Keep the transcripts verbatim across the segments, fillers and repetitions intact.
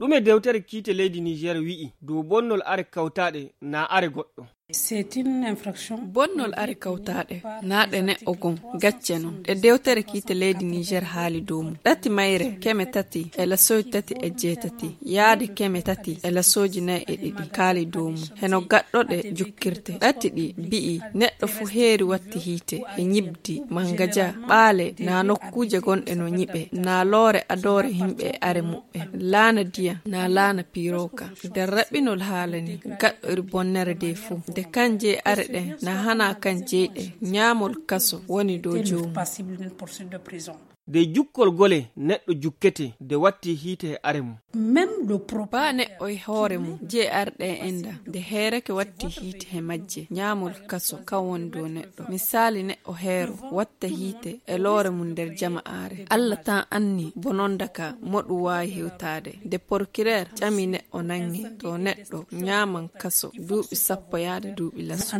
Ɗume dewtere kiite leydi Niger wi'i dow bonnol are kawtaaɗe na are goɗɗo? Bonnol are kawtaaɗe na ɗe neɗɗo gon gacce non. Ɗe dewtere kiite leydi Niger haali dow mum. Ɗati mayre keme tati e lasoji tati e jeetati yaade keme tati e lasoji nayi e ɗiɗi kaali dow mum. Heno gaɗɗo ɗe jukkirte. Ɗati ɗi bi'i neɗɗo fu heeri watti hiite e ñibdi, mangaja, ɓaale na nokkuuje gonɗe no ñiɓe na loore adoore himɓe e are muɓɓe. Laana diya na laana piroka. Nder raɓɓinol haala ni gaɗɗo iri bonnere de fuu. Nde kan jey are ɗen na hana kan jeyɗe ñaamol kaso woni dow joomum. De jukkol gole neɗɗo jukkete nde watti hiite e are mum. Ba neɗɗo e hoore mum jey are ɗe inda nde heereke watti hiite he majje ñaamol kaso kan woni dow neɗɗo. Misaali neɗɗo heero watta hiite e loore mum nder jama'aare. Alla tan anni bononda ka mo ɗum waawi hewtaade. Nde porkireer ƴami neɗɗo nange to neɗɗo ñaaman kaso duuɓi sappo yaade duuɓi laso.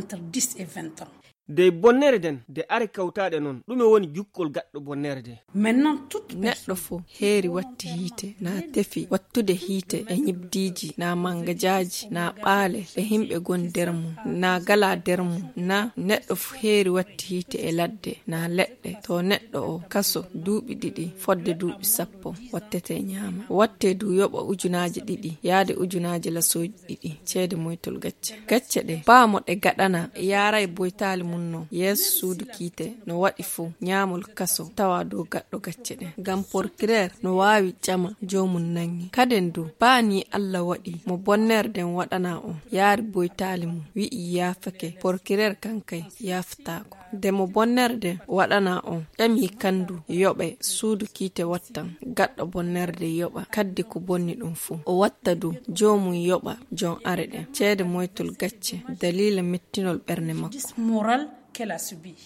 Dey bonnere nden nde are kawtaaɗe non ɗume woni jukkol gaɗɗo bonnere nde? Neɗɗo fof heeri watti hiite na tefi wattude hiite e ñibdiiji na mangajaaji na ɓaale e himɓe goni nder mum na gala nder mum na neɗɗo fof heeri watti hiite e ladde na leɗɗe to neɗɗo o kaso duuɓi ɗiɗi fodde duuɓi sappo wattete ñaama watte du yoɓa ujunaaji ɗiɗi yaade ujunaaji lasooji ɗiɗi ceede moytol gacce. Gacce ɗe baa mo ɗe gaɗana yaaray boytaali mum non yeeso suudu kiite no waɗi fof ñaamol kaso tawa dow gaɗɗo gacce ɗen ngam porkireer no waawi ƴama joomum nangi kaden du baa ni Alla waɗi mo bonnere nden waɗana on yaari boytaali mum wi'i yaafake porkireer kan kay yaafataako. Nde mo bonnere nden waɗana on ƴami kan du yoɓe suudu kiite wattan gaɗɗo bonnere nden yoɓa kaddi ko bonni ɗum fof o watta du joomum yoɓa jom are ɗen ceede moytol gacce daliila mettinol ɓernde makko.